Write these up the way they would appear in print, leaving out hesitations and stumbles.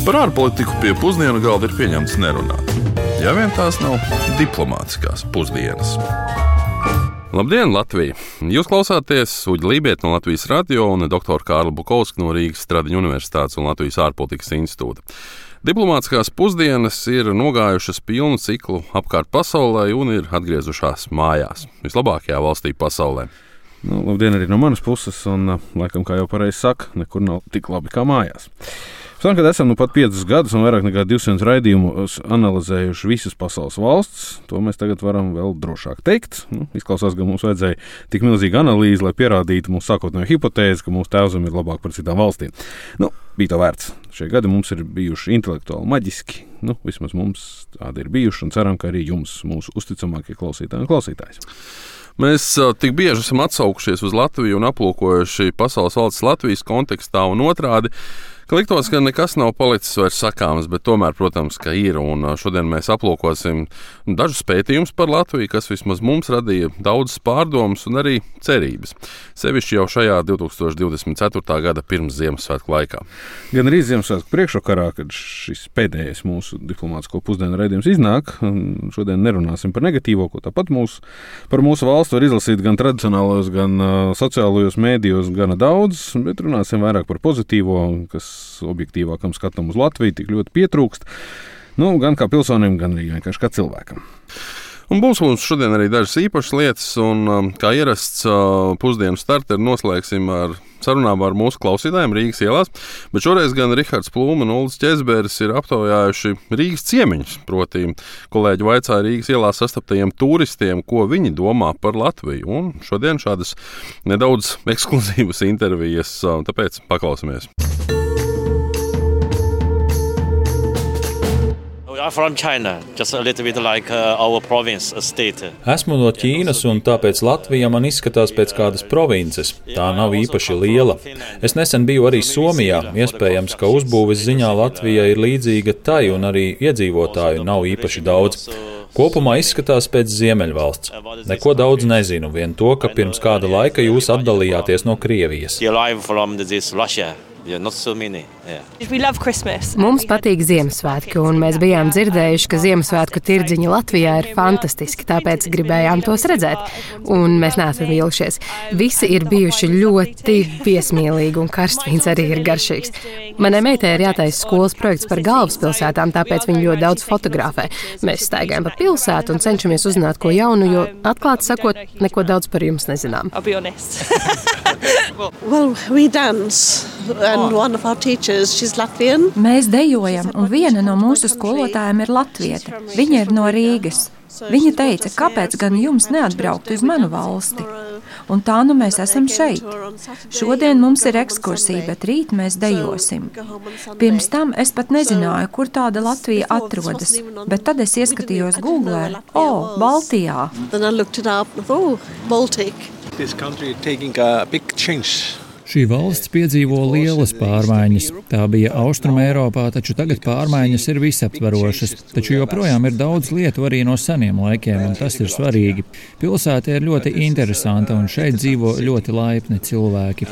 Par ārpolitiku pie pusdienu galda ir pieņemts nerunāt. Ja vien tās nav diplomātiskās pusdienas. Labdien, Latvija! Jūs klausāties Uģa Lībieta no Latvijas radio un doktora Kārla Bukovska no Rīgas Stradiņu universitātes un Latvijas ārpolitikas institūta. Diplomātiskās pusdienas ir nogājušas pilnu ciklu apkārt pasaulē un ir atgriezušās mājās, vislabākajā valstī pasaulē. Labdien arī no manas puses, un laikam, kā jau pareizi saka, nekur nav tik labi kā mājās. Pēc tam, kad esam pat 5 gadus un vairāk nekā 200 raidījumus analizējuši visas pasaules valsts, to mēs tagad varam vēl drošāk teikt. Izklausās, ka mums vajadzēja tik milzīgu analīzi, lai pierādītu mūsu sākotnējo hipotēzi, ka mūsu tēvzeme ir labāk par citām valstīm. Bija to vērts. Šie gadi mums ir bijuši intelektuāli maģiski. Vismaz mums tādi ir bijuši, un ceram, ka arī jums, mūsu uzticamākie klausītāji un klausītājs. Mēs tik bieži esam atsaukušies uz Latviju un aplūkojuši pasaules valsts Latvijas kontekstā un otrādi, ka liktos, ka nekas nav palicis vairs sakāms, bet tomēr, protams, ka ir. Un šodien mēs aplūkosim dažus pētījumus par Latviju, kas vismaz mums radīja daudzas pārdomas un arī cerības. Sevišķi jau šajā 2024. gada pirms Ziemassvētku laikā. Gan arī Ziemassvētku priekšvakarā, kad šis pēdējais mūsu diplomātisko pusdienu raidījums iznāk. Šodien nerunāsim par negatīvo, ko tāpat par mūsu valsti var izlasīt gan tradicionālos, gan sociālajos mēdījos gana daudz, bet runāsim vairāk par pozitīvo, kas objektīvākam skatam uz Latviju tik ļoti pietrūkst, gan kā pilsonim, gan arī vienkārši kā cilvēkam. Un būs mums šodien arī dažas īpašas lietas, un kā ierasts pusdienu starteru noslēgsim ar sarunām ar mūsu klausītājiem Rīgas ielās, bet šoreiz gan Rihards Plūme un Uldis Ķezberis ir aptaujājuši Rīgas ciemiņus, proti kolēģi vaicāja Rīgas ielās sastaptajiem turistiem, ko viņi domā par Latviju, un šodien šādas nedaudz ekskluzīvas intervijas, tāpēc paklausamies. From China, just a little bit like our province, a state. Esmu no Ķīnas, un tāpēc Latvija man izskatās pēc kādas provinces. Tā nav īpaši liela. Es nesen biju arī Somijā. Iespējams, ka uzbūves ziņā Latvija ir līdzīga tai, un arī iedzīvotāju nav īpaši daudz. Kopumā izskatās pēc Ziemeļvalsts. Neko daudz nezinu, vien to, ka pirms kāda laika jūs atdalījāties no Krievijas. Not so many. Mums patīk Ziemassvētki, un mēs bijām dzirdējuši, ka Ziemassvētku tirdziņi Latvijā ir fantastiski, tāpēc gribējām tos redzēt, un mēs neesam vīlušies. Visi ir bijuši ļoti viesmīlīgi, un karstvīns arī ir garšīgs. Manai meitai ir jātaisa skolas projekts par galvaspilsētām, tāpēc viņi ļoti daudz fotografē. Mēs staigājam pa pilsētu un cenšamies uzzināt ko jaunu, jo, atklāti sakot, neko daudz par jums nezinām. Well, we dance. And one of our teachers, she's Latvian. Mēs dejojam, un viena no mūsu skolotājiem ir latvieta. Viņa ir no Rīgas. Viņa teica, kāpēc gan jums neatbraukt uz manu valsti? Un tā mēs esam šeit. Šodien mums ir ekskursija, bet rīt mēs dejosim. Pirms tam es pat nezināju, kur tāda Latvija atrodas, bet tad es ieskatījos Googlē, Baltijā. Then I looked it up, Baltic. This country taking a big change. Šī valsts piedzīvo lielas pārmaiņas. Tā bija Austruma Eiropā, taču tagad pārmaiņas ir visaptverošas. Taču joprojām ir daudz lietu arī no seniem laikiem, un tas ir svarīgi. Pilsēta ir ļoti interesanta, un šeit dzīvo ļoti laipni cilvēki.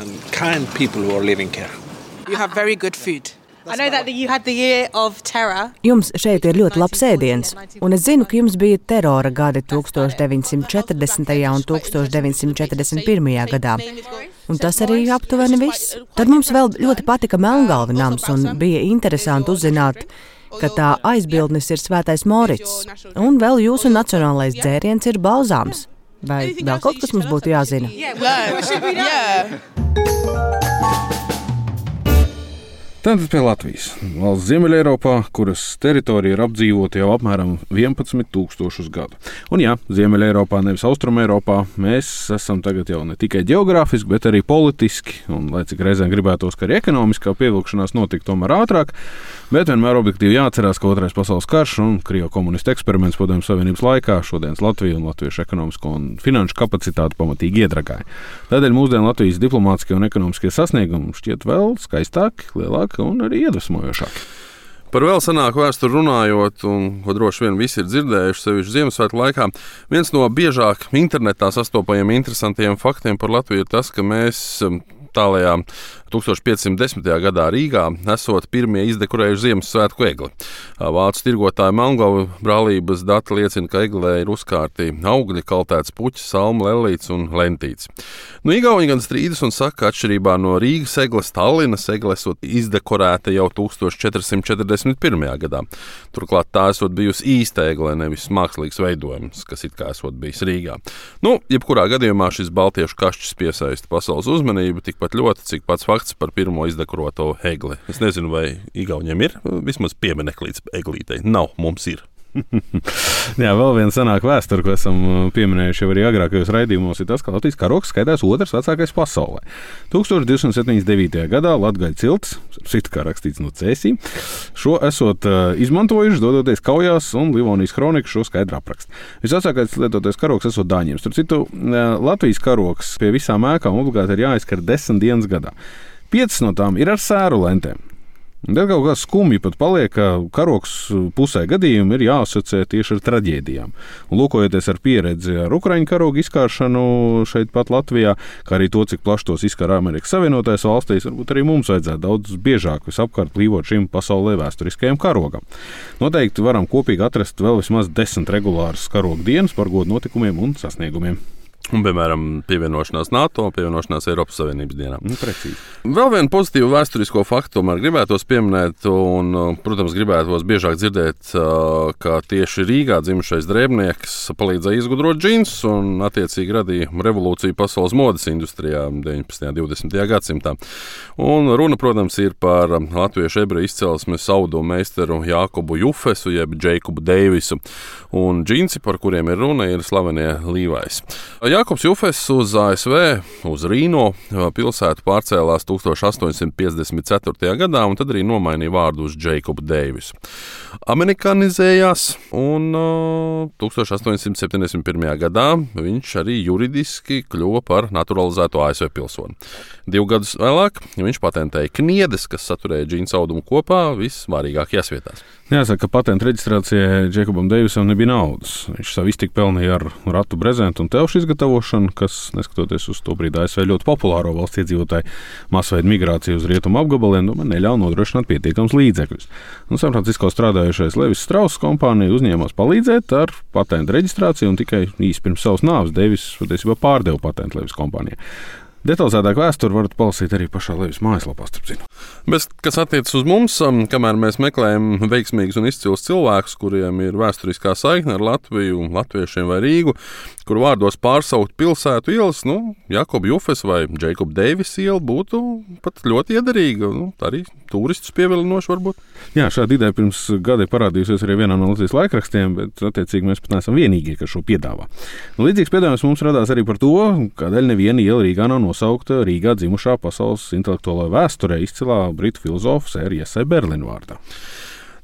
Jums šeit ir ļoti labs ēdiens, un es zinu, ka jums bija terora gadi 1940. un 1941. gadā. Un tas arī aptuveni viss. Tad mums vēl ļoti patika Melngalva nams, un bija interesanti uzzināt, ka tā aizbildnis ir Svētais Morits, un vēl jūsu nacionālais dzēriens ir balzāms. Vai vēl kaut kas mums būtu jāzina? Tātad pie Latvijas. Valsts Ziemeļeiropā, kuras teritorija ir apdzīvota jau apmēram 11,000 gadu. Un jā, Ziemeļeiropā, nevis Austrumeiropā, mēs esam tagad jau ne tikai geogrāfiski, bet arī politiski, un lai cik reizēm gribētos, ka arī ekonomiskā pievilkšanās notika tomēr ātrāk, bet vienmēr objektīvi jāatcerās, ka Otrais pasaules karš un Krievu komunistu eksperiments Padomju Savienības laikā šodienas Latviju un latviešu ekonomisko un finanšu kapacitāti pamatīgi iedragāja. Tādēļ mūsdienu Latvijas diplomātiskie un ekonomiskie sasniegumi šķiet vēl skaistāki, lielāki un arī iedvesmojošāki. Par vēl senāku vēsturi runājot, un ko droši vien visi ir dzirdējuši sevišķi Ziemassvētku laikā, viens no biežāk internetā sastopajiem interesantiem faktiem par Latviju ir tas, ka mēs tālajā 1510. gadā Rīgā esot pirmie izdekorējuši Ziemassvētku egli. Vācu tirgotāja Melngauja brālības dati liecina, ka eglē ir uzkārti augļi, kaltēts puķis, salmu, lellīts un lentīts. Igauņi gan strīdas un saka, ka atšķirībā no Rīgas egles, Tallinas egle esot izdekorēta jau 1441. gadā. Turklāt tā esot bijusi īsta egle, nevis mākslīgs veidojums, kas it kā esot bijis Rīgā. Jebkurā gadījumā šis baltiešu kašķis piesaista pasaules uzmanību tikpat ļoti, cik pats fakts par pirmo izdekorēto egli. Es nezinu, vai igauņiem ir vismaz piemineklis eglītei. Nav, mums ir. Jā, vēl viena senāka vēsture, ko esam pieminējuši jau arī agrākajos raidījumos, ir tas, ka Latvijas karogs skaitās otrs vecākais pasaulē. 1279. gadā Latgaļu cilts, kā rakstīts no Cēsī, šo esot izmantojuši, dodoties kaujās, un Livonijas kronika šo skaidri apraksta. Visvecākais lietotais karogs esot dāņiem. Starp citu, Latvijas karogs pie visām ēkām obligāti ir jāizskar 10 dienas gadā. 5 no tām ir ar sēru lentēm. Tad kaut kā skumji pat paliek, ka karogs pusē gadījumu ir jāasociē tieši ar traģēdijām. Un lūkojoties ar pieredzi ar Ukraiņu karogu izkāršanu šeit pat Latvijā, kā arī to, cik plaši tos izkara Amerikas Savienotajās valstīs, varbūt arī mums vajadzētu daudz biežāk visapkārt plīvot šim pasaulē vēsturiskajam karogam. Noteikti varam kopīgi atrast vēl vismaz 10 regulāras karogu dienas par godu notikumiem un sasniegumiem. Un, piemēram, pievienošanās NATO, pievienošanās Eiropas Savienības dienām. Precīzi. Vēl vienu pozitīvu vēsturisko faktu tomēr gribētos pieminēt, un, protams, gribētos biežāk dzirdēt, ka tieši Rīgā dzimušais drēbnieks palīdzēja izgudrot džinsus un attiecīgi radīja revolūciju pasaules modes industrijā 19. un 20. gadsimtā. Un runa, protams, ir par latviešu ebreju izcelsmes audumu meistaru Jākobu Jufesu, jeb Džeikobu Deivisu. Un džinsi, par kuriem ir runa, ir slavenie Levi's. Jākobs Jufes uz ASV, uz Rīno pilsētu pārcēlās 1854. gadā, un tad arī nomainīja vārdu uz Džeikobu Deivisu. Amerikanizējās, un 1871. gadā viņš arī juridiski kļuva par naturalizēto ASV pilsoni. 2 gadus vēlāk viņš patentēja kniedes, kas saturēja džinsu audumu kopā visvārīgākajās vietās. Jāsaka, ka patentu reģistrācijai Džeikobam Deivisam nebija naudas. Viņš savu iztiku pelnīja ar ratu brezentu un telšu izgatavošanu, kas, neskatoties uz to brīdi ASV ļoti populāro valsts iedzīvotāju masveidu migrāciju uz rietumu apgabaliem, neļauj nodrošināt pietiekams līdzekļus. San Francisko strādājušais Levis Strauss kompānija uzņēmās palīdzēt ar patentu reģistrāciju, un tikai īsi pirms savas nāves Deivis patiesībā pārdeva patentu Levis kompānijai. Detalizētāk vēsturi varat palasīt arī pašā Levis mājaslapā, starp citu. Bet, kas attiecas uz mums, kamēr mēs meklējam veiksmīgus un izcilus cilvēkus, kuriem ir vēsturiskā saikne ar Latviju, latviešiem vai Rīgu, kur vārdos pārsaukt pilsētu ielas, Jākoba Jufes vai Džeikoba Deivis iela būtu pat ļoti iederīga. Arī turistus pievilinoši varbūt. Jā, šāda ideja pirms gada parādījusies arī vienā no Latvijas laikrakstiem, bet attiecīgi mēs pat neesam vienīgie, kas šo piedāvā. Līdzīgs piedāvājums mums radās arī par to, kādēļ neviena iela Rīgā nav nosaukta Rīgā dzimušā pasaules intelektuālajā vēsturē izcilā britu filozofa Sēra Jesai Berlina vārdā.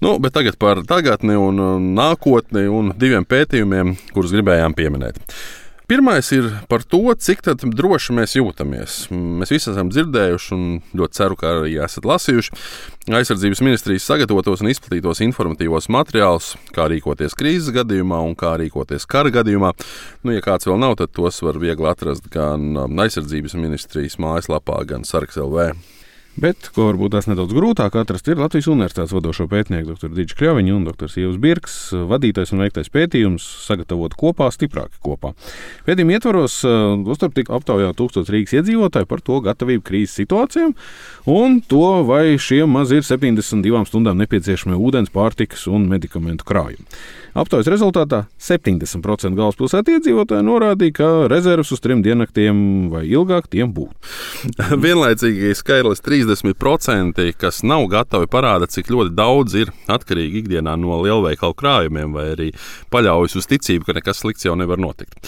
Bet tagad par tagadni un nākotni un 2 pētījumiem, kurus gribējām pieminēt. Pirmais ir par to, cik droši mēs jūtamies. Mēs visi esam dzirdējuši un ļoti ceru, ka arī esat lasījuši Aizsardzības ministrijas sagatavotos un izplatītos informatīvos materiālus, kā rīkoties krīzes gadījumā un kā rīkoties kara gadījumā. Ja kāds vēl nav, tad tos var viegli atrast gan Aizsardzības ministrijas mājaslapā, gan Sargs.lv. Bet, ko varbūt tās nedaudz grūtāk atrast, ir Latvijas Universitātes vadošo pētnieku dr. Dīča Kļaviņa un dr. Ievas Birks vadītais un veiktais pētījums sagatavot kopā, stiprāki kopā. Pētījuma ietvaros uzturp tika aptaujāt 1000 Rīgas iedzīvotāji par to gatavību krīzes situācijām un to, vai šiem maz ir 72 stundām nepieciešamie ūdens, pārtikas un medikamentu krājumi. Aptaujas rezultātā 70% galvaspilsētu iedzīvotāji norādīja, ka rezerves uz 3 diennaktiem vai ilgāk tiem būtu. Vienlaicīgi skaidrs 30%, kas nav gatavi, parāda, cik ļoti daudz ir atkarīgi ikdienā no lielveikalu krājumiem vai arī paļaujas uz ticību, ka nekas slikts jau nevar notikt.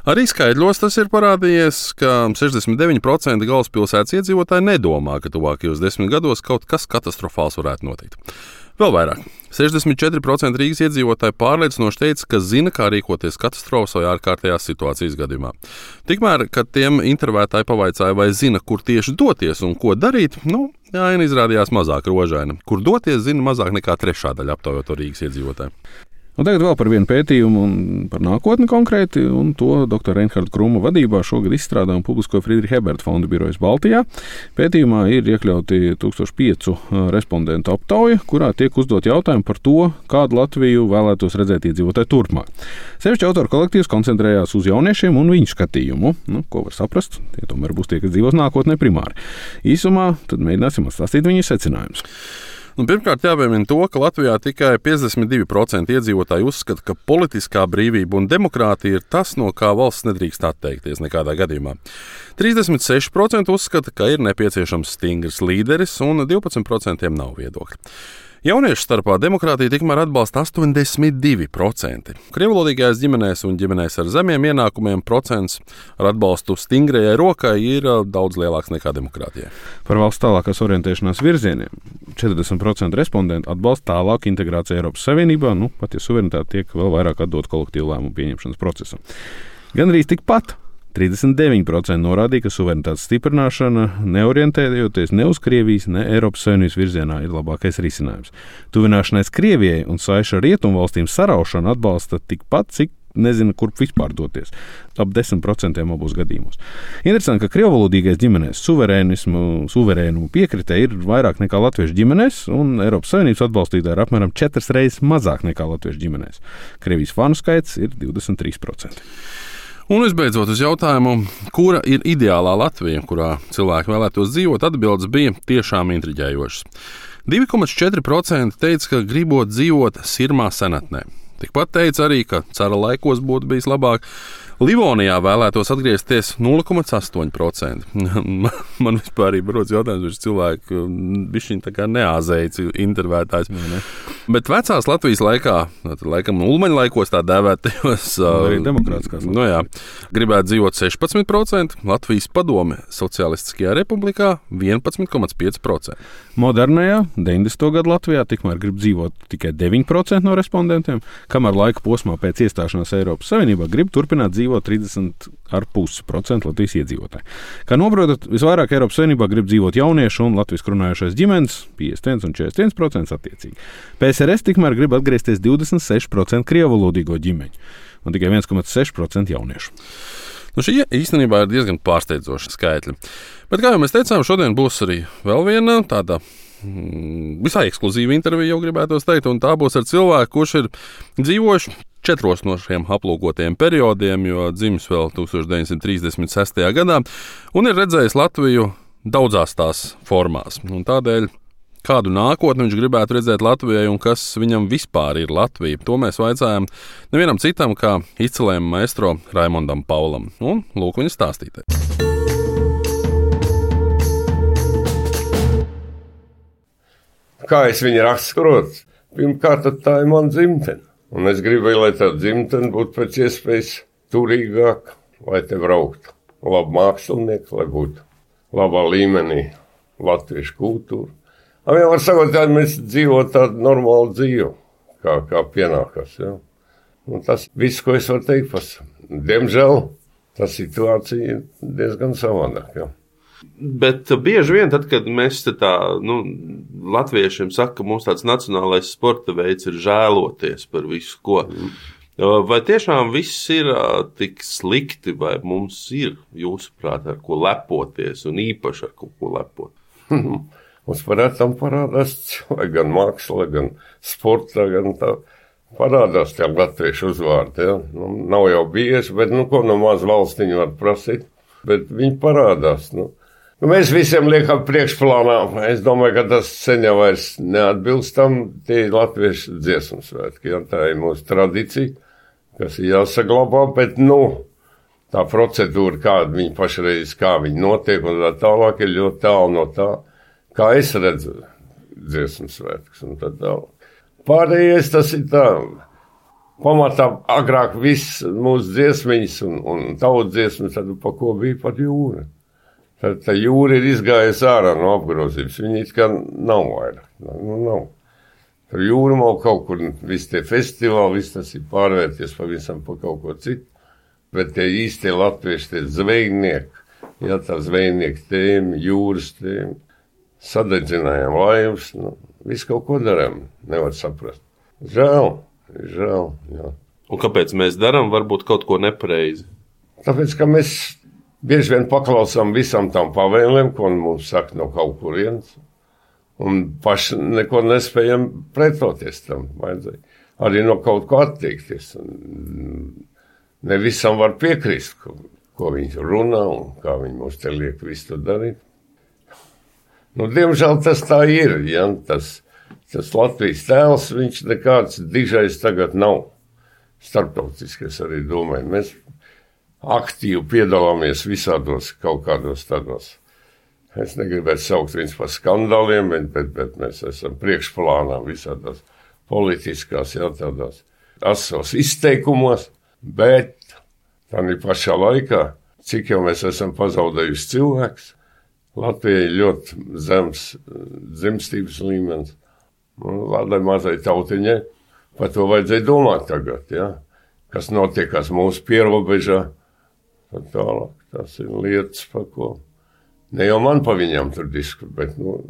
Arī skaidros tas ir parādījies, ka 69% galvaspilsētas iedzīvotāji nedomā, ka tuvākajos 10 gados kaut kas katastrofāls varētu notikt. Vēl vairāk. 64% Rīgas iedzīvotāji pārliecinoši teica, ka zina, kā rīkoties katastrofas vai ārkārtējās situācijas gadījumā. Tikmēr, kad tiem intervētāji pavaicāja, vai zina, kur tieši doties un ko darīt, aina izrādījās mazāk rožaina. Kur doties, zina mazāk nekā 1/3 aptaujoto Rīgas iedzīvotāju. Un tagad vēl par vienu pētījumu un par nākotni konkrēti, un to dr. Reinharda Kruma vadībā šogad izstrādā un publisko Friedricha Eberta fonda birojas Baltijā. Pētījumā ir iekļauti 1005 respondentu aptauja, kurā tiek uzdot jautājumi par to, kādu Latviju vēlētos redzēt iedzīvotāji turpmāk. Sevišķi autoru kolektīvs koncentrējās uz jauniešiem un viņu skatījumu, ko var saprast, tie tomēr būs tie, kas dzīvos nākotnē primāri. Īsumā tad mēģināsim atstāstīt viņu secinājumus. Pirmkārt, jāpiemina to, ka Latvijā tikai 52% iedzīvotāji uzskata, ka politiskā brīvība un demokrātija ir tas, no kā valsts nedrīkst atteikties nekādā gadījumā. 36% uzskata, ka ir nepieciešams stingrs līderis, un 12% nav viedokļi. Jauniešu starpā demokrātiju tikmēr atbalsta 82%. Krievlodīgajās ģimenēs un ģimenēs ar zemiem ienākumiem procents ar atbalstu stingrajai rokai ir daudz lielāks nekā demokrātijai. Par valsts tālākās orientēšanās virzieniem 40% respondentu atbalsta tālāku integrāciju Eiropas Savienībā, pat ja suverenitāte tiek vēl vairāk atdot kolektīvu lēmumu pieņemšanas procesam. Gan arī tikpat 39% norādīja, ka suverenitātes stiprināšana, neorientējoties ne uz Krievijas, ne Eiropas Savienības virzienā, ir labākais risinājums. Tuvināšanās Krievijai un saiša ar rietumvalstīm saraušanu atbalsta tikpat, cik nezina, kurp vispār doties. Ap 10% abos gadījumos. Interesanti, ka krievvalodīgais ģimenēs suverēnumu piekritē ir vairāk nekā latviešu ģimenēs, un Eiropas Savienības atbalstītāji ir apmēram 4 reizes mazāk nekā latviešu ģimenēs. Krievijas fanu skaits ir 23%. Un visbeidzot uz jautājumu, kura ir ideālā Latvija, kurā cilvēki vēlētos dzīvot, atbildes bija tiešām intriģējošas. 2,4% teica, ka gribot dzīvot Sirmā senatnē. Tikpat teica arī, ka cara laikos būtu bijis labāk. Livonijā vēlētos atgriezties 0,8%. Man vispār arī rodas jautājums, vai cilvēki bišķiņ tā kā neāzēji intervētājs. Bet vecās Latvijas laikā, laikam Ulmaņa laikos tā dēvētajos, arī demokrātiskās gribētu dzīvot 16%, Latvijas padome Socialistiskajā republikā 11,5%. Modernajā 90. gadu Latvijā tikmēr grib dzīvot tikai 9% no respondentiem, kamēr laika posmā pēc iestāšanās Eiropas Savienībā grib turpināt dzīvot 30,5% Latvijas iedzīvotāji. Kā noprotat, visvairāk Eiropas Savienībā grib dzīvot jauniešu un latviski runājošais ģimenes 51 un 41% attiecīgi. PSRS tikmēr grib atgriezties 26% krievalodīgo ģimeņu un tikai 1,6% jauniešu. Šī īstenībā ir diezgan pārsteidzoša skaitļi. Bet, kā jau mēs teicām, šodien būs arī vēl viena tāda visai ekskluzīva intervija, jau gribētos teikt, un tā būs ar cilvēku, kurš ir dzīvojuši 4 no šiem aplūkotajiem periodiem, jo dzimis vēl 1936. gadā, un ir redzējis Latviju daudzās tās formās. Un tādēļ, kādu nākotni viņš gribētu redzēt Latvijai un kas viņam vispār ir Latvija, to mēs vaicājām nevienam citam kā izcilējam maestro Raimondam Paulam. Un lūk viņa stāstītājs. Kā es viņu raksturotu? Pirmkārt, tā ir mana dzimtene. Un es gribēju, lai tā dzimtene būtu pēc iespējas turīgāka, lai te brauktu labi mākslinieki, lai būtu labā līmenī latviešu kultūra. Jau var sakot, ka mēs dzīvot tādu normālu dzīvi, kā pienākas. Ja? Un tas viss, ko es varu teikt par. Diemžēl tā situācija ir diezgan savādāk. Ja? Bet bieži vien, tad, kad mēs latviešiem saka, ka mums tāds nacionālais sporta veids ir žēloties par visu, ko. Vai tiešām viss ir tik slikti, vai mums ir, jūsuprāt, ar ko lepoties un īpaši ar ko lepot? Mums parādās gan māksla, gan sporta, gan tā parādās tie latviešu uzvārdi. Ja? Nav jau bieži, bet ko no maz valstiņu var prasīt, bet viņi parādās. Mēs visiem liekam priekšplānā. Es domāju, ka tas sen jau vairs neatbilst tam, tie ir latviešu dziesmu svētki. Ja? Tā ir mūsu tradīcija, kas ir jāsaglabā, bet tā procedūra, kāda viņi pašreiz, kā viņi notiek un tā tālāk, ir ļoti tālu no tā, kā es redzu dziesmu svētkus un tā tālāk. Pārējais tas ir tā, pamatā agrāk viss mūsu dziesmiņas un tautas dziesmas, tad pa ko bija pat jūra. Tad tā jūra ir izgājusi ārā no apgrozības, viņi it kā nav vairāk, nav. Tur jūra nav kaut kur, visi tie festivāli, viss tas ir pārvērties pavisam pa kaut ko citu, bet tie īstie latvieši, tie zvejnieki, ja tā zvejnieki tēmi, jūras tēmi, sadedzinājām laivas, visu kaut ko darām, nevar saprast. Žēl, Žēl, jā. Un kāpēc mēs darām varbūt kaut ko nepareizi? Tāpēc, ka mēs bieži vien paklausām visam tam pavēlēm, ko mums saka no kaut kurienes, un paši neko nespējam pretoties tam. Vajadzēja arī no kaut ko attiekties. Ne visam var piekrist, ko viņi runā un kā viņi mums te liek visu to darīt. Diemžēl tas tā ir, ja? Tas Latvijas tēls, viņš nekāds dižais tagad nav. Starptautiskais arī domāju. Mēs aktīvi piedalāmies visādos kaut kādos tādos. Es negribētu saukt viņus par skandāliem, bet mēs esam priekšplānā visādās politiskās, tādās asos izteikumos, bet tādā pašā laikā, cik jau mēs esam pazaudējuši cilvēks, Latvijai ir ļoti zems dzimstības līmenis. Lai mazai tautiņai par to vajadzēja domāt tagad, ja? Kas notiekās mūsu pierobežā. Tālāk, tas ir lietas, par ko ne jau man pa viņam tur diskutēt, bet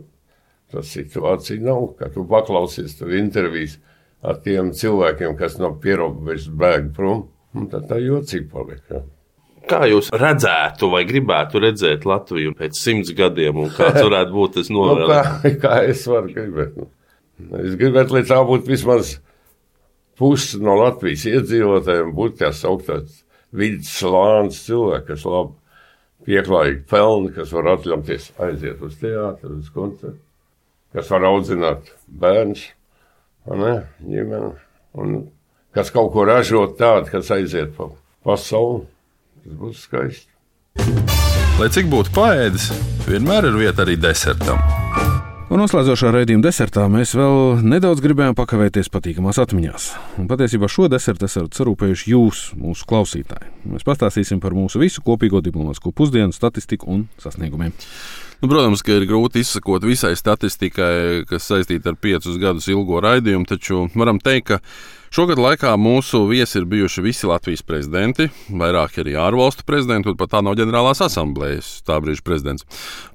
tā situācija nav. Kad tu paklausies tur intervijas ar tiem cilvēkiem, kas no pierobežas bēg prom, tad tā jocīgi paliek. Ja? Kā jūs redzētu vai gribētu redzēt Latviju pēc 100 gadiem, un kāds varētu būt tas novēlējums? Kā es varu gribēt? Es gribētu, lai tā būtu vismaz pusi no Latvijas iedzīvotājiem, būtu tā sauktās vidus slānis cilvēki, kas labi pieklājīgi pelni, kas var atļauties aiziet uz teātru, uz koncertu, kas var audzināt bērnus, ģimeni, un kas kaut ko ražot tādu, kas aiziet pa pasauli. Tas būs skaisti. Lai cik būtu paēdis, vienmēr ir vieta arī desertam. Un noslēdzošā raidījuma desertā mēs vēl nedaudz gribējām pakavēties patīkamās atmiņās. Un patiesībā šo desertu esat sarūpējuši jūs, mūsu klausītāji. Mēs pastāstīsim par mūsu visu kopīgo diplomātisko pusdienu, statistiku un sasniegumiem. Protams, ka ir grūti izsakot visai statistikai, kas saistīta ar 5 gadus ilgo raidījumu, taču varam teikt, ka šogad laikā mūsu viesi ir bijuši visi Latvijas prezidenti, vairāki arī ārvalstu prezidenti, un pat tā nav ģenerālās asamblējas tā brīža prezidents.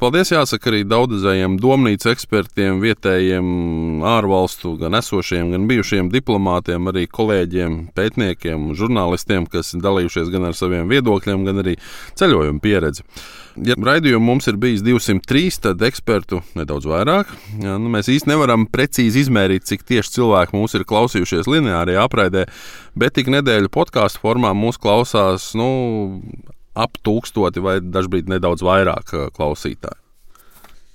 Paldies jāsaka arī daudzajiem domnīcu ekspertiem, vietējiem ārvalstu, gan esošiem, gan bijušiem diplomātiem, arī kolēģiem, pētniekiem, žurnālistiem, kas dalījušies gan ar saviem viedokļiem, gan arī ceļojumu pieredzi. Ja raidījumu mums ir bijis 203, tad ekspertu nedaudz vairāk. Mēs īsti nevaram precīzi izmērīt, cik tieši cilvēki mūs ir klausījušies lineārajā apraidē, bet tik nedēļu podkāstu formā mūs klausās ap 1000 vai dažbrīd nedaudz vairāk klausītāji.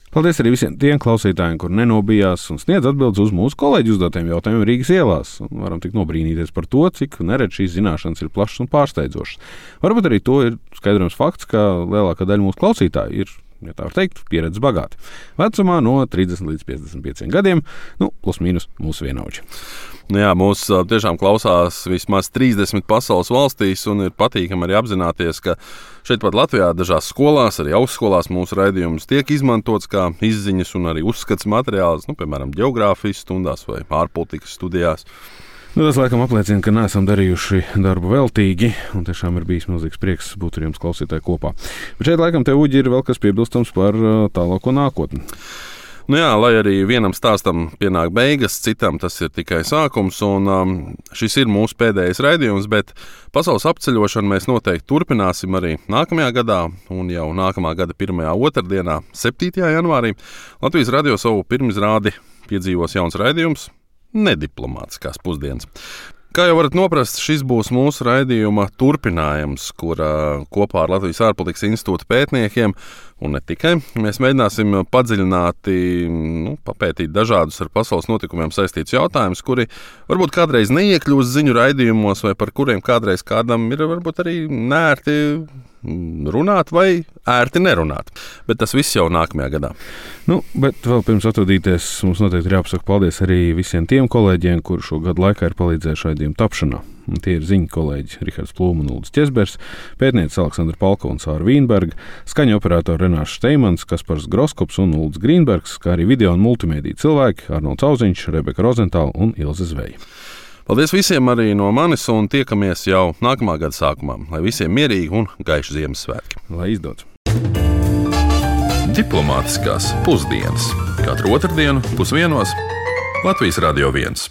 Paldies arī visiem tiem klausītājiem, kur nenobijās un sniedz atbildes uz mūsu kolēģi uzdotiem jautājumiem Rīgas ielās. Un varam tik nobrīnīties par to, cik neredz šīs zināšanas ir plašas un pārsteidzošas. Varbūt arī to ir skaidrojams fakts, ka lielākā daļa mūsu klausītāju ir, ja tā var teikt, pieredzes bagāti. Vecumā no 30 līdz 55 gadiem, plus mīnus mūsu vienaudži. Jā, mūs tiešām klausās vismaz 30 pasaules valstīs, un ir patīkami arī apzināties, ka šeit pat Latvijā dažās skolās, arī augstskolās mūsu raidījums tiek izmantots kā izziņas un arī uzskats materiāls, piemēram, ģeogrāfijas stundās vai ārpolitikas studijās. Tas laikam apliecina, ka neesam darījuši darbu veltīgi, un tiešām ir bijis milzīgs prieks būt ar jums klausītāji kopā. Bet šeit laikam te Uģi ir vēl kas piebilstams par tālāko nākotni. Lai arī vienam stāstam pienāk beigas, citam tas ir tikai sākums, un šis ir mūsu pēdējais raidījums, bet pasaules apceļošanu mēs noteikti turpināsim arī nākamajā gadā, un jau nākamā gada 1. otrdienā, 7. janvārī, Latvijas radio savu pirmizrādi piedzīvos jauns raidījums Nediplomātiskās pusdienas. Kā jau varat noprast, šis būs mūsu raidījuma turpinājums, kur kopā ar Latvijas ārpolitikas institūta pētniekiem, un ne tikai, mēs mēģināsim padziļināti papētīt dažādus ar pasaules notikumiem saistītus jautājumus, kuri varbūt kādreiz neiekļūst ziņu raidījumos, vai par kuriem kādreiz kādam ir varbūt arī nērti runāt vai ērti nerunāt. Bet tas viss jau nākamajā gadā. Bet vēl pirms atvadīties, mums noteikti ir jāpasaka paldies arī visiem tiem kolēģiem, kuri šo gadu laikā ir palīdzējuši raidījumu tapšanā. Un tie ir ziņu kolēģi Rihards Plūma un Uldis Ķezbers, pētniece Aleksandra Palkova un Sāra Vīnberga, skaņu operatori Renārs Steimans, Kaspars Groskops un Uldis Grīnbergs, kā arī video un multimediju cilvēki Arnolds Auziņš, Rebeka Rozentāla un Ilze Zveja. Paldies visiem arī no manis, un tiekamies jau nākamā gada sākumā. Lai visiem mierīgi un gaiši Ziemassvētki. Lai izdodas! Diplomātiskās pusdienas. Katru otrdienu 12:00 Latvijas Radio 1.